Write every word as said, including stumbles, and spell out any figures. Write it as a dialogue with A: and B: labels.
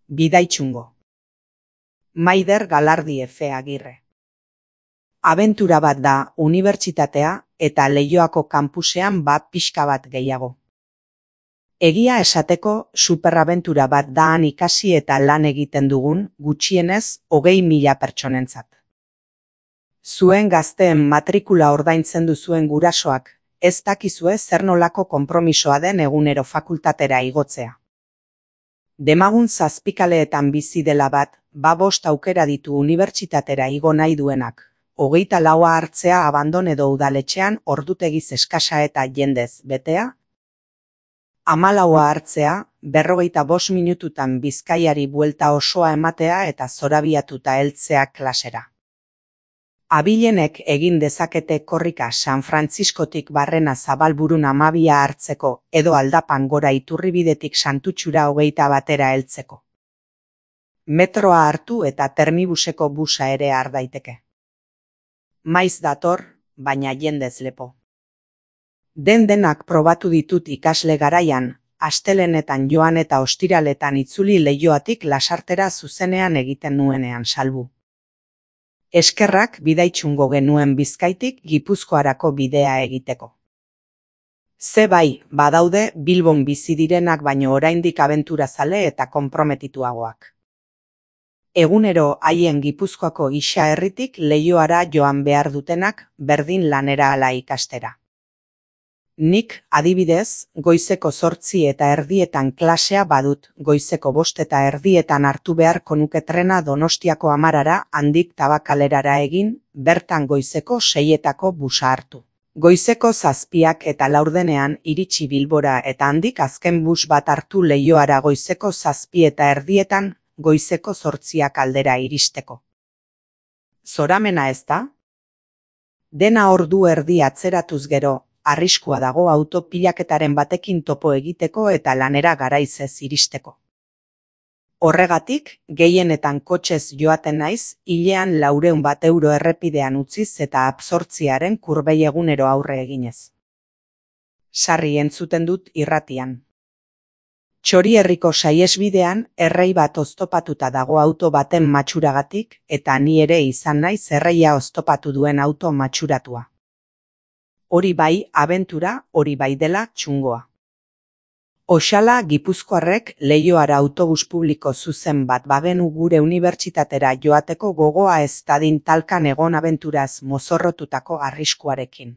A: Bidaitxungo. Maider Galardi Efe Agirre. Abentura bat da unibertsitatea eta Leioako kanpusean bat pixka bat gehiago. Egia esateko superabentura bat da han ikasi eta lan egiten dugun gutxienez hogei mila pertsonentzat. Zuen gazteen matrikula ordaintzen duzuen gurasoak, ez dakizue zer nolako konpromisoa den egunero fakultatera igotzea. Demagun zazpikaleetan bizi dela bat, ba bost aukera ditu unibertsitatera igo nahi duenak, hogeita laua hartzea abandon edo udaletxean ordutegiz eskasa eta jendez betea, hamalaua hartzea, berrogeita bost minututan Bizkaiari buelta osoa ematea eta zorabiatuta heltzea klasera. Abilenek egin dezakete korrika San Frantziskotik Barrena Zabalburun amabia hartzeko edo aldapan gora Iturribidetik Santutxura hogeita batera heltzeko. Metroa hartu eta termibuseko busa ere har daiteke. Maiz dator, baina jendez lepo. Den denak probatu ditut ikasle garaian, astelenetan joan eta ostiraletan itzuli Leioatik Lasartera zuzenean egiten nuenean salbu. Eskerrak Bidaitxungo genuen Bizkaitik Gipuzkoarako bidea egiteko. Ze bai, badaude Bilbon bizi direnak baino oraindik abenturazale eta konprometituagoak. Egunero haien Gipuzkoako isa herritik Leioara joan behar dutenak berdin lanera ala ikastera. Nik, adibidez, goizeko zortzi eta erdietan klasea badut, goizeko bost eta erdietan hartu beharko nuke trena Donostiako Amarara handik Tabakalerara egin, bertan goizeko seietako busa hartu. Goizeko zazpiak eta laurdenean iritsi Bilbora eta handik azken bus bat hartu Leioara goizeko zazpi eta erdietan, goizeko zortziak aldera iristeko. Zoramena ez da? Dena ordu erdi atzeratuz gero, arriskua dago auto pilaketaren batekin topo egiteko eta lanera garaiz ez iristeko. Horregatik, gehienetan kotxez joaten naiz, hilean laureun bat euro errepidean utziz eta absortziaren kurbei egunero aurre eginez. Sarri entzuten dut irratian. Txorierriko saihesbidean errei bat oztopatuta dago auto baten matxuragatik eta ni ere izan naiz erreia oztopatu duen auto matxuratua. Hori bai abentura, hori bai dela txungoa. Oxala Gipuzkoarrek Leioara autobus publiko zuzen bat bagenu gure unibertsitatera joateko gogoa ez dadin talkan egon abenturaz mozorrotutako arriskuarekin.